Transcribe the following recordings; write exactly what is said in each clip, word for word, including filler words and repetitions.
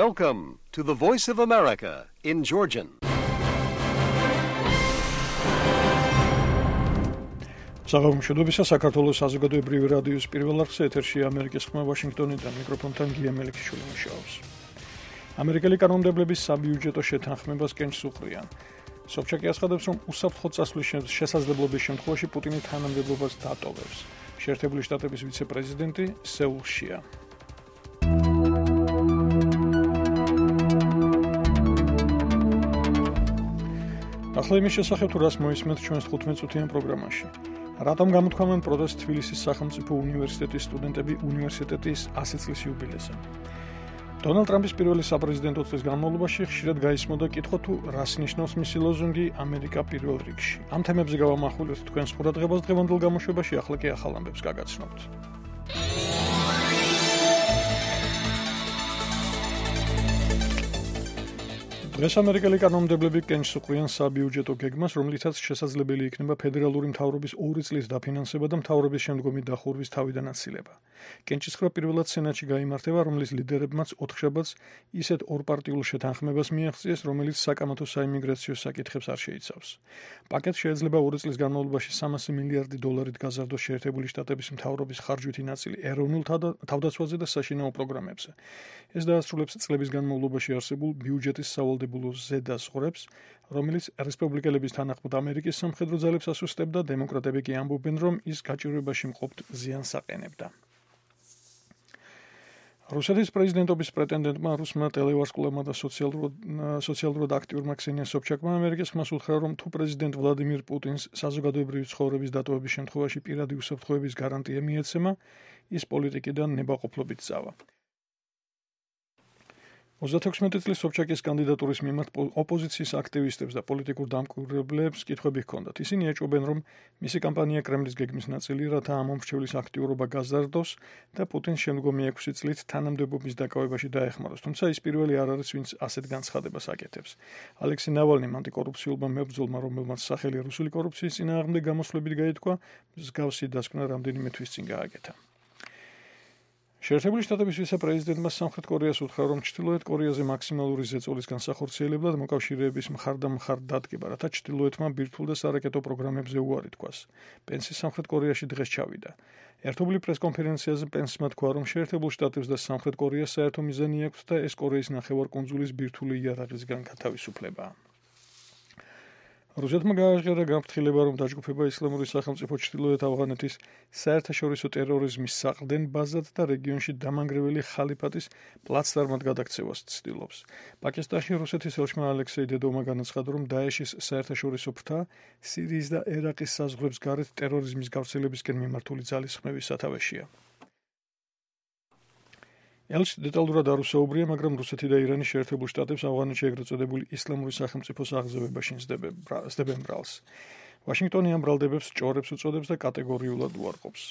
Welcome to the Voice of America in Georgian. Საღამოშობისა საქართველოს საზოგადოებრივი რადიოს პირველ არხზე ეთერში ამერიკის ხმა ვაშინგტონიდან მიკროფონთან გია მელიქიშვილი მუშაობს. ამერიკელი კანონმდებლების საბიუჯეტო შეთანხმებას კენჭს უყრიან. სოფჩაკი აცხადებს, რომ უსაფრთხო წასვლის შესაძლებლობის შემთხვევაში პუტინი თანამდებობას დატოვებს. შეერთებული შტატების ვიცე-პრეზიდენტი სეულშია. ახლა იმის შესახებ თუ რას მოისმენთ ჩვენს თხუთმეტ წუთიან პროგრამაში. რატომ გამოთქვამენ პროტესტს თბილისის სახელმწიფო უნივერსიტეტის სტუდენტები უნივერსიტეტის ასი წლის იუბილეზე? დონალდ ტრამპის პირველი საპრეზიდენტო წლის განმავლობაში ხშირად გაისმოდა კითხვა თუ რას ნიშნავს მისი ლოზუნგი ამერიკა პირველ რიგში. ამ თემებზე გავამახვილებთ თქვენს ყურადღებას დღევანდელ გამოშვებაში, ახლა კი ახალ ამბებს გაგაცნობთ. დღეს ამერიკელი კანონმდებლები კენჭს უყრიან საბიუჯეტო გეგმას, რომლითაც შესაძლებელი იქნება ფედერალური მთავრობის ორი წლის დაფინანსება და მთავრობის შემდგომი დახურვის თავიდან აცილება. კენჭისყრა პირველად სენატში გაიმართება, რომლის ლიდერებმაც ოთხშაბათს ისეთ ორპარტიულ შეთანხმებას მიაღწიეს, რომელიც საკამათო საიმიგრაციო საკითხებს არ შეიცავს. პაკეტს შეიძლება ორი წლის განმავლობაში სამასი მილიარდი დოლარით გაზარდოს შეერთებული შტატების მთავრობის ხარჯვითი ნაწილი ეროვნულ თავდაცვაზე და საშინაო პროგრამებზე. ეს დაასრულებს წლების განმავლობაში არსებულ ბიუჯეტის სავალდებულო ზედაზღვრებს, რომელიც რესპუბლიკელების თანახმად ამერიკის სამხედრო ძალებს ასუსტებდა, დემოკრატები კი ამბობენ, რომ ის გაჭირვებაში მყოფ ზიანს აყენებდა. რუსეთის პრეზიდენტობის პრეტენდენტმა რუსმა ტელევარსკვლავმა და სოციალურად აქტიურმა ქსენია სობჩაკმა ამერიკის ხმას უთხრა, რომ თუ პრეზიდენტ ვლადიმირ პუტინს საზოგადოებრივი ცხოვრების დატოვების შემთხვევაში პირადი უსაფრთხოების გარანტია მიეცემა, ის პოლიტიკიდან ნებაყოფლობით წავა. ოცდათექვსმეტი წლის სობჩაკის კანდიდატურის მიმართ ოპოზიციის აქტივისტებს და პოლიტიკურ დამკვირვებლებს კითხვები ჰქონდათ. ისინი ეჭვობენ, რომ მისი კამპანია კრემლის გეგმის ნაწილი, რათა ამ მომრჩევლის აქტიურობა გაზარდოს და პუტინს შემდგომი ექვსი წლით თანამდებობის დაკავებაში დაეხმაროს. თუმცა ის პირველი არ არის, ვინც ასეთ განცხადებას აკეთებს. ალექსი ნავალნიმ, ანტიკორუფციულმა მებრძოლმა, რომელმაც სახელი რუსული კორუფციის წინააღმდეგ გამოსვლებით გაითქვა, მსგავსი დასკვნა რამდენიმე თვის წინ გააკეთა. შეერთებული შტატების ვიცე-პრეზიდენტმა სამხრეთ კორეას უთხრა, რომ ჩრდილოეთ კორეაზე მაქსიმალური ზეწოლის განსახორციელებლად მოკავშირეების მხარდამხარ დადგება, რათა ჩრდილოეთმა ბირთვულ და სარაკეტო პროგრამებზე უარი თქვას. პენსი სამხრეთ კორეაში დღეს ჩავიდა. ერთობლივ პრესკონფერენციაზე პენსმა თქვა, რომ შეერთებულ შტატებს და სამხრეთ კორეას საერთო მიზანი აქვს და ეს კორეის ნახევარკუნძულის ბირთვული იარაღისგან გათავისუფლებაა. რუსეთმა გააჟღერა გაფრთხილება, რომ დაჯგუფება ისლამური სახელმწიფო ჩრდილოეთ ავღანეთის საერთაშორისო ტერორიზმის საყრდენ ბაზად და რეგიონში დამანგრეველი ხალიფატის პლაცდარმად გადაქცევას ცდილობს. პაკისტანში რუსეთის ელჩმა ალექსეი დედოვმა განაცხადა, რომ დაეშის საერთაშორისო ფრთა სირიის და ერაყის საზღვრებს გარეთ ტერორიზმის გავრცელებისკენ მიმართული ძალისხმევის სათავეშია. ელჩი დეტალურად არ უსაუბრია, მაგრამ რუსეთი და ირანი შეერთებულ შტატებს ავღანეთში ეგრეთ წოდებული ისლამური სახელმწიფოს აღზევებაში სდებენ ბრალს. ვაშინგტონი ამ ბრალდებებს ჭორებს უწოდებს და კატეგორიულად უარყოფს.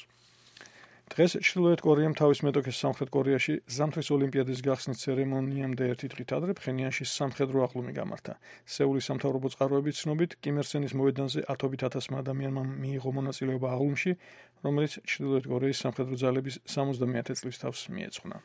დღეს ჩრდილოეთ კორეამ თავის მეტოქეს სამხრეთ კორეაში ზამთრის ოლიმპიადის გახსნის ცერემონიამდე ერთი დღით ადრე ფხენიანში სამხედრო აღლუმი გამართა. სეულის სამთავრობო წყაროების ცნობით, კიმ ერ სენის მოედანზე ათობით ათასმა ადამიანმა მიიღო მონაწილეობა აღლუმში, რომელიც ჩრდილოეთ კორეის სამხედრო ძალების სამოცდამეათე წლის თავს მიეძღვნა.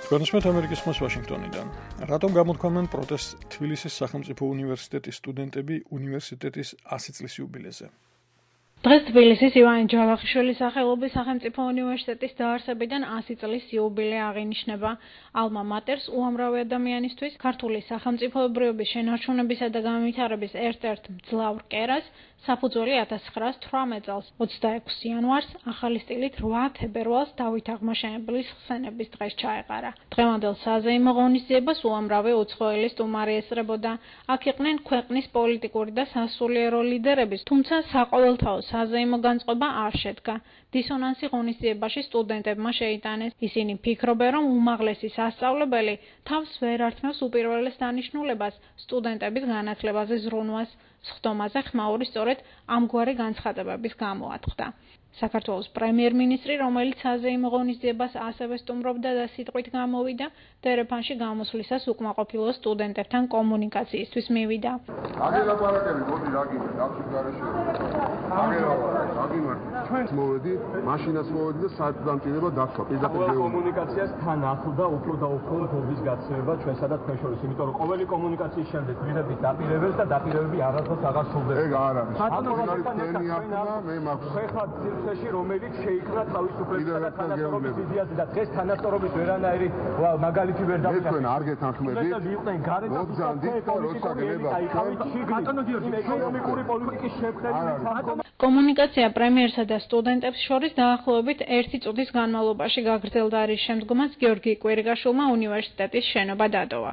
განსმეთ ამერიკის ხმას ვაშინგტონიდან. რატომ გამოთქვამენ პროტესტს თბილისის სახელმწიფო უნივერსიტეტის სტუდენტები უნივერსიტეტის ასი წლის იუბილეზე? დღეს თბილისის ივანე ჯავახიშვილის სახელობის სახელმწიფო უნივერსიტეტის დაარსებიდან ასი წლის იუბილე აღინიშნება. ალმა მატერს უამრავი ადამიანისთვის ქართული სახელმწიფოებრიობის შენარჩუნებისა და განვითარების ერთ-ერთ მძლავრ კერას საფუძველი ათას ცხრაასი თვრამეტ წელს ოცდაექვსი იანვარს ახალი სტილით რვა თებერვალს დავით აღმაშენებლის ხსენების დღეს ჩაეყარა. დღევანდელ საზეიმო ღონისძიებას უამრავი უცხოელი სტუმარი ესწრებოდა. აქ იყვნენ ქვეყნის პოლიტიკური და სასულიერო ლიდერების, თუმცა საყოველთაო საზეიმო განწყობა არ შედგა. დისონანსი ღონისძიებაში სტუდენტებმა შეიტანეს. ისინი ფიქრობენ, რომ უმაღლესი სასწავლებელი თავს ვერ ართმევს უპირველეს დანიშნულებას სტუდენტების განათლებაზე ზრუნვას. სხდომაზე ხმაური სწორედ ამგვარი განცხადებების გამო ატყდა. საქართველოს პრემიერ-მინისტრი, რომელიც საზეიმო ღონისძიებას ასევე სტუმრობდა და სიტყვით გამოვიდა, დერეფანში გამოსვლისას უკმაყოფილო სტუდენტებთან კომუნიკაციისთვის მივიდა. აგერაპარაკები მოდი რა გინდა, ნახში გარეშე. აგერაპარაკები, ჩვენ მოვედი, მაშინას მოვედი და საერთოდ დამჭირება დაქვა. პირდაპირ კომუნიკაციას თან ახლდა უფრო და უფრო გობის გაცემა ჩვენსა და თქვენ შორის, იმიტომ რომ ყოველი კომუნიკაციის შემდეგ გვირაბის დაპირებებს და დაპირებები არასდროს აღარ სრულდება. ეგ არ არის. ბატონო, თქვენი ახლა მე მაქვს. ხეხად სივრცეში რომელიც შეიქმნა თავისუფლებისა და თანასწორობის იდეაზე და დღეს თანასწორობის ვერანაირი მაგალითი ვერ დავიღეთ. მე თქვენ არ გეთანხმებით. იყვნენ გარეთ და მოგძანდით და როცა გელებათ. ბატონო გიორგი, ეკონომიკური პოლიტიკის შემქმნელი კომუნიკაცია პრემიერსა და სტუდენტებს შორის დაახლოებით ერთი წუთის განმავლობაში გაგრძელდა, რის შემდგომაც გიორგი კვირიკაშვილმა უნივერსიტეტის შენობა დატოვა.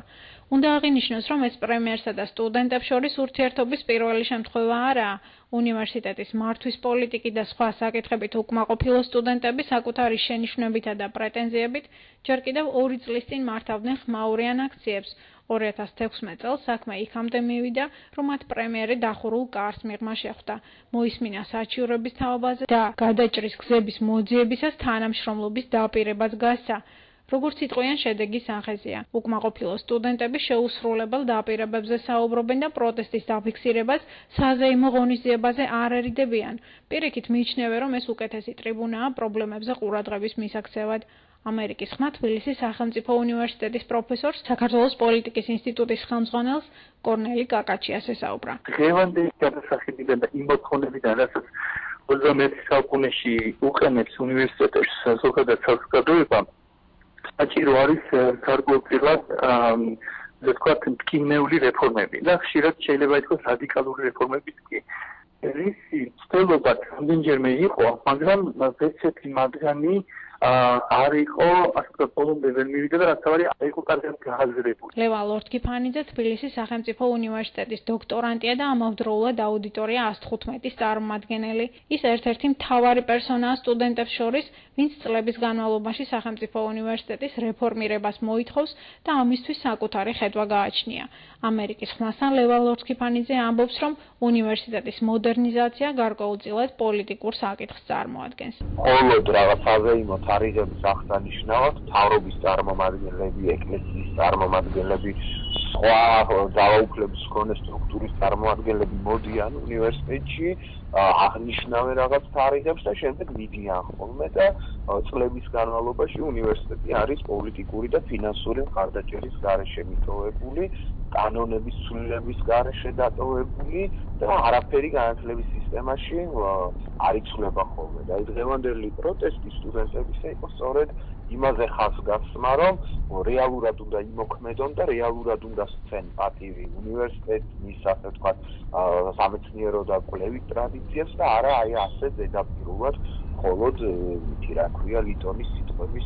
უნდა აღინიშნოს, რომ ეს პრემიერსა და სტუდენტებს შორის ურთიერთობის პირველი შემთხვევა არაა. უნივერსიტეტის მართვის პოლიტიკი და სხვა საკითხებით უკმაყოფილო სტუდენტები საკუთარი შენიშვნებითა და პრეტენზიებით ჯერ კიდევ ორი წლის წინ მართავდნენ ხმაურიან აქციებს. ორი ათას თექვსმეტ წელს საქმე იქამდე მივიდა, რომ მათ პრემიერი დახურულ კარს მიღმა შეხვდა. მოისმინა საჩივრების თაობაზე და გადაჭრის გზების მოძიებისას თანამშრომლობის დაპირებაც გასცა. როგორც იტყვიან, შედეგი სახეზეა. უკმაყოფილო სტუდენტები შეუსრულებელ დაპირებებზე საუბრობენ და პროტესტის დაფიქსირებას საზეიმო ღონისძიებაზე არ ერიდებიან. პირიქით მიიჩნევენ, რომ ეს უკეთესი ტრიბუნაა პრობლემებზე ყურადღების მისაქცევად. ამერიკის ხმა თბილისის სახელმწიფო უნივერსიტეტის პროფესორს, საქართველოს პოლიტიკის ინსტიტუტის ხელმძღვანელს კორნელი კაკაჩიას ესაუბრა. დღევანდელი გადასახადებიდან და იმ მოთხოვნებიდან, რასაც ოცდამეერთე საუკუნეში უყენებს უნივერსიტეტებს ზოგადად საზოგადოება, საჭირო არის გარკვეულწილად ასე ვთქვათ, მტკივნეული რეფორმები და ხშირად შეიძლება ითქვას რადიკალური რეფორმებიც კი. რისი ცდილობა რამდენჯერმე იყო, მაგრამ ესეთი მათგანი არ იყო, ასე ვთქვათ, ბოლომდე ვერ მივიდა და რაც თავარი არ იყო კარგად გააზრებული. ლევან ლორთქიფანიძე თბილისის სახელმწიფო უნივერსიტეტის დოქტორანტია და ამავდროულად აუდიტორია ას თხუთმეტის წარმომადგენელი. ის ერთ-ერთი მთავარი პერსონაა სტუდენტებს შორის, ვინც წლების განმავლობაში სახელმწიფო უნივერსიტეტის რეფორმირებას მოითხოვს და ამისთვის საკუთარი ხედვა გააჩნია. ამერიკის ხმასთან ლევან ლორთქიფანიძე ამბობს, რომ უნივერსიტეტის მოდერნიზაცია გარკვეულწილად პოლიტიკურ საკითხს წარმოადგენს. მხოლოდ რაღაც საზეიმო თარიღების აღსანიშნავად მთავრობის წარმომადგენლები, ეკლესიის წარმომადგენლები, სხვა ძალაუფლების მქონე სტრუქტურის წარმომადგენლები მოდიან უნივერსიტეტში, აღნიშნავენ რაღაც თარიღებს და შემდეგ მიდიან ხოლმე და წლების განმავლობაში უნივერსიტეტი არის პოლიტიკური და ფინანსური მხარდაჭერის გარეშე მიტოვებული, კანონების ცვლილების გარეშე დატოვებული და არაფერი განათლების სისტემაში არ იცვლება ხოლმე. და დღევანდელი პროტესტი სტუდენტებისა იყო სწორედ იმაზე ხაზს გასცემა, რომ რეალურად უნდა იმოქმედონ და რეალურად უნდა სცენ პატივი უნივერსიტეტს, მის ასე ვთქვათ, სამეცნიერო და კვლევით ტრადიციებს და არა აი ასე ზედაპირულად მხოლოდ ითი რა ქვია ლიტონის სიტყვების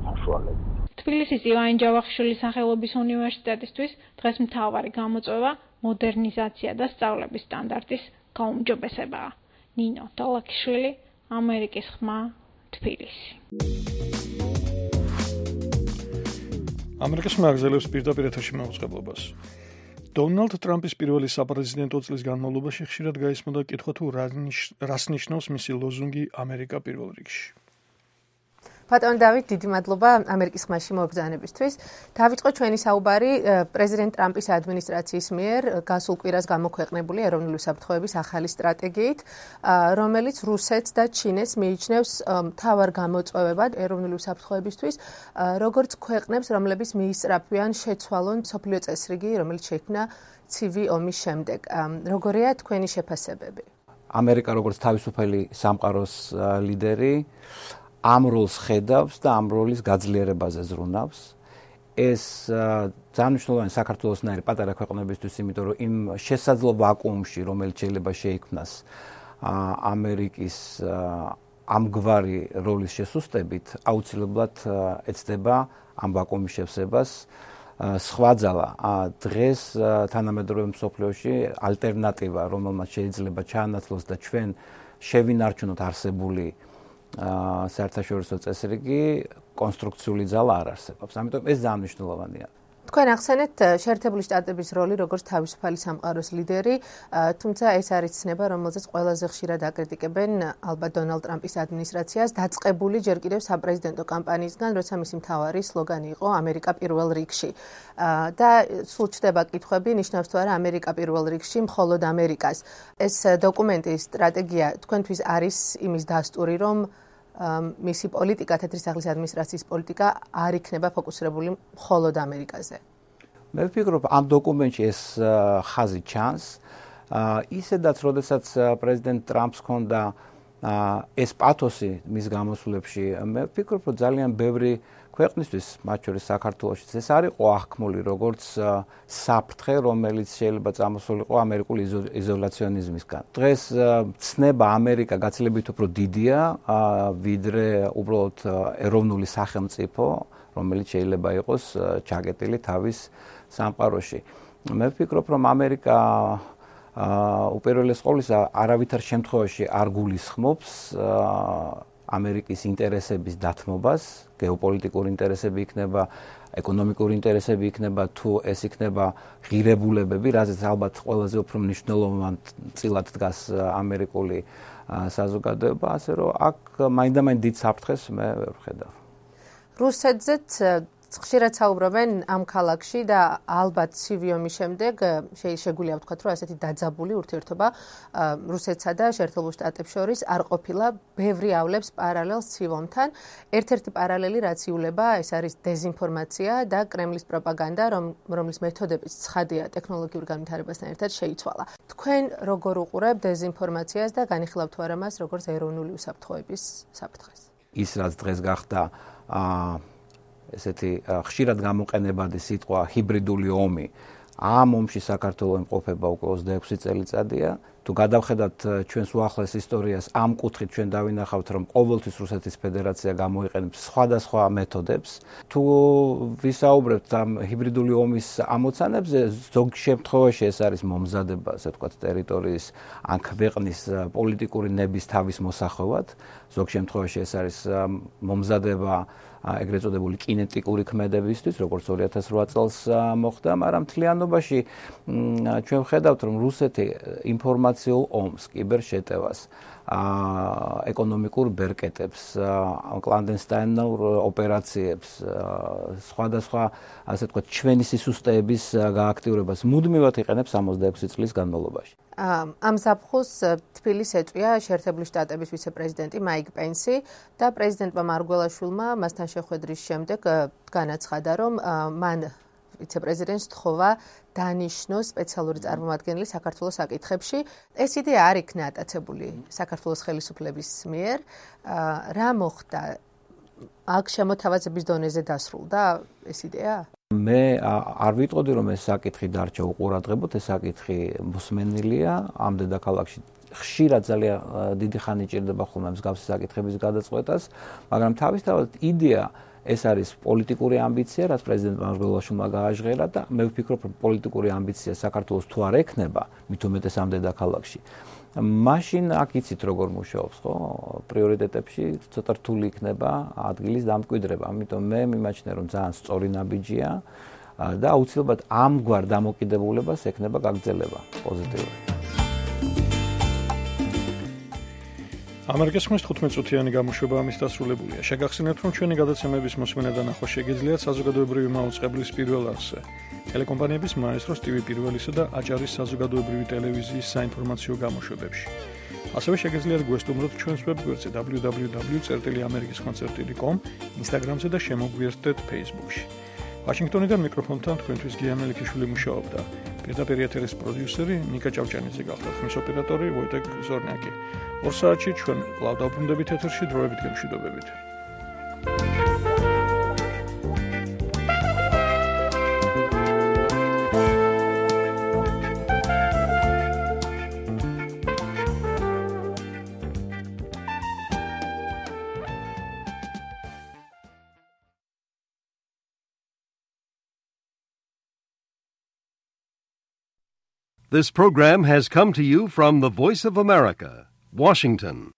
საშუალებით. თბილისის ივანე ჯავახიშვილის სახელობის უნივერსიტეტისთვის დღეს მთავარი გამოწვევა მოდერნიზაცია და სწავლების სტანდარტის გაუმჯობესებაა. ნინო დოლაქიშვილი, ამერიკის ხმა, თბილისი. ამერიკის ხმა აგზელებს პირდაპირ ეთერში მაუწყებლობას. დონალდ ტრამპის პირველი საპრეზიდენტო წლის განმავლობაში ხშირად გაისმოდა კითხვა თუ რას ნიშნავს მისი ლოზუნგი ამერიკა პირველ რიგში. ბატონ დავით, დიდი მადლობა ამერიკის ხმაში მობრძანებისთვის. დავიწყო ჩვენი საუბარი პრეზიდენტ ტრამპის ადმინისტრაციის მიერ გასულ კვირას გამოქვეყნებული ეროვნული უსაფრთხოების ახალი სტრატეგიით, რომელიც რუსეთს და ჩინეთს მიიჩნევს მთავარ გამოწვევებად ეროვნული უსაფრთხოებისთვის, როგორც ქვეყნებს, რომლებიც მიისწრაფვიან შეცვალონ მსოფლიო წესრიგი, რომელიც შეიქმნა ცივი ომის შემდეგ. როგორია თქვენი შეფასებები? ამერიკა როგორც თავისუფალი სამყაროს ლიდერი ამ როლს ხედავს და ამ როლის გაძლიერებაზე ზრუნავს. ეს ძალიან მნიშვნელოვანი საქართველოსნაირი პატარა ქვეყნებისთვის, იმიტომ რომ იმ შესაძლო ვაკუუმში, რომელიც შეიძლება შეიქმნას ამერიკის ამგვარი როლის შესუსტებით, აუცილებლად ეცდება ამ ვაკუუმის შევსებას. სხვა ძალა დღეს თანამედროვე მსოფლიოში ალტერნატივა, რომელმაც შეიძლება ჩაანაცვლოს და ჩვენ შევინარჩუნოთ არსებული საერთაშორისო წესრიგი, კონსტრუქციული ძალა არ არსებობს. ამიტომ ეს ძალიან მნიშვნელოვანია. თქვენ ახსენეთ შეერთებული შტატების როლი როგორც თავისუფალი სამყაროს ლიდერი, თუმცა ეს არის ცნება, რომელზეც ყველაზე ხშირად აკრიტიკებენ ალბათ დონალდ ტრამპის ადმინისტრაციას, დაწყებული ჯერ კიდევ საპრეზიდენტო კამპანიისგან, როცა მისი მთავარი სლოგანი იყო ამერიკა პირველ რიგში. და სულ ჩდება კითხვები, ნიშნავს თუ არა ამერიკა პირველ რიგში, მხოლოდ ამერიკას. ეს დოკუმენტის სტრატეგია თქვენთვის არის იმის დასტური, რომ მისი პოლიტიკა, თეთრისაღლის ადმინისტრაციის პოლიტიკა არ იქნება ფოკუსირებული მხოლოდ ამერიკაზე. მე ვფიქრობ, ამ დოკუმენტში ეს ხაზი ჩანს. ისედაც, როდესაც პრეზიდენტ ტრამპს ჰქონდა ეს პათოსი მის გამოსვლებში, მე ვფიქრობ, რომ ძალიან ბევრი ქვეყნისთვის, მათ შორის საქართველოშიც ეს არ იყო აღქმული როგორც საფრთხე, რომელიც შეიძლება წამოსულიყო ამერიკული იზოლაციონიზმისგან. დღეს ცნება ამერიკა გაცილებით უფრო დიდია, ვიდრე უბრალოდ ეროვნული სახელმწიფო, რომელიც შეიძლება იყოს ჩაკეტილი თავის სამყაროში. მე ვფიქრობ, რომ ამერიკა უპირველეს ყოვლისა არავითარ შემთხვევაში არ გულისხმობს ამერიკის ინტერესების დათმობას, გეოპოლიტიკური ინტერესები იქნება, ეკონომიკური ინტერესები იქნება, თუ ეს იქნება ღირებულებები, რაზეც ალბათ ყველაზე უფრო მნიშვნელოვანად დგას ამერიკული საზოგადოება, ასე რომ აქ მაინდამაინც დიდ საფრთხეს მე ვერ ვხედავ. რუსეთზეც ხშირად საუბრობენ ამ ქალაქში და ალბათ ცივი ომის შემდეგ შეგვიძლია ვთქვათ, რომ ასეთი დაძაბული ურთიერთობა რუსეთსა და შეერთებულ შტატებს შორის არ ყოფილა, ბევრი ავლებს პარალელს ცივ ომთან. ერთ-ერთი პარალელი რაც იულება, ეს არის დეზინფორმაცია და კრემლის პროპაგანდა, რომლის მეთოდებიც ცხადია ტექნოლოგიურ განვითარებასთან ერთად შეიცვალა. თქვენ როგორ უყურებთ დეზინფორმაციას და განიხილავთ თუ არა მას როგორც ეროვნული უსაფრთხოების საფრთხეს? ის რაც დღეს გახდა ესეთი ხშირად გამოყენებადი სიტყვა ჰიბრიდული ომი. ამ ომში საქართველოს იმყოფება უკვე ოცდაექვსი წელიწადია. თუ გადავხედავთ ჩვენს უახლეს ისტორიას, ამ კუთხით ჩვენ დავინახავთ, რომ ყოველთვის რუსეთის ფედერაცია გამოიყენებს სხვადასხვა მეთოდებს. თუ ვისაუბრებთ ამ ჰიბრიდული ომის ამოცანებზე, ზოგ შემთხვევაში ეს არის მომზადება, ასე ვთქვათ, ტერიტორიის ან ქვეყნის პოლიტიკური ნების თავის მოსახვევად. ზოგ შემთხვევაში ეს არის მომზადება ეგრეთ წოდებული კინეტიკური ქმედებისთვის, როგორც ორი ათას რვა წელს მოხდა, მაგრამ მთლიანობაში ჩვენ ვხედავთ, რომ რუსეთი ინფორმაციულ ომს, კიბერშეტევას, ეკონომიკურ ბერკეტებს, კლანდესტაინურ ოპერაციებს, სხვადასხვა, ასე ვთქვათ, ჩვენი სისუსტეების გააქტიურებას მუდმივად იყენებს ორმოცდაექვსი წლის განმავლობაში. ამ ზაფხულს თბილისს ეწვია შეერთებული შტატების ვიცე-პრეზიდენტი მაიკ პენსი და პრეზიდენტმა მარგველაშვილმა მასთან შეხვედრის შემდეგ განაცხადა, რომ მან ვიცე-პრეზიდენტს თხოვა დანიშნოს სპეციალური წარმომადგენელი საქართველოს საკითხებში. ეს იდეა არ იქნა ატაცებული საქართველოს ხელისუფლების მიერ. რა მოხდა? აქ შემოთავაზების დონეზე დასრულდა ეს იდეა? მე არ ვიტყოდი, რომ ეს საკითხი დარჩა უყურადღებოდ, ეს საკითხი მოსმენილია ამ დედაქალაქში. ხშირად ძალიან დიდი ხანი ჭირდება ხოლმე მსგავსი საკითხების გადაწყვეტას, მაგრამ თავისთავად იდეა ეს არის პოლიტიკური ამბიცია, რაც პრეზიდენტ მარგველაშვილმა გააჟღერა და მე ვფიქრობ, რომ პოლიტიკური ამბიცია საქართველოს თუ არ ექნება, მით უმეტეს ამ დედაქალაქში. მაშინ აქ იცით როგორ მუშაობს, ხო? პრიორიტეტებში ცოტა რთული იქნება ადგილის დამკვიდრება. ამიტომ მე მიმაჩნია, რომ ძალიან სწორი ნაბიჯია და აუცილებლად ამგვარ დამოკიდებულებას ექნება გაგრძელება პოზიტიური. ამერიკის ხმის თხუთმეტ წუთიანი გამოშვება ამის დასრულებულია. შეგახსენებთ, რომ ჩვენი გადაცემების მოსმენა და ნახვა შეგიძლიათ საზოგადოებრივი მაუწყებლის პირველ არხზე. ტელეკომპანიების მაესტროს ტივი პირველისა და აჭარის საზოგადოებრივი ტელევიზიის საინფორმაციო გამოშვებებში. ასევე შეგიძლიათ გვესტუმროთ ჩვენს ვებგვერდზე დაბლიუ დაბლიუ დაბლიუ წერტილი ამერიკის ხმაწერთ ტელე კომ, ინსტაგრამზე და შემოგვიერთდეთ ფეისბუქში. ვაშინგტონიდან მიკროფონთან თქვენთვის გია მელიქიშვილი მუშაობდა. პირდაპირ ეთერის პროდიუსერი ნიკა ჭავჭანიძე გახდა, ხმის ოპერატორი ვოიტეკ ზორნაკი. ორ საათში ჩვენ კვლავ დავბრუნდებით ეთერში დროებით გემშვიდობებით. This program has come to you from the Voice of America, Washington.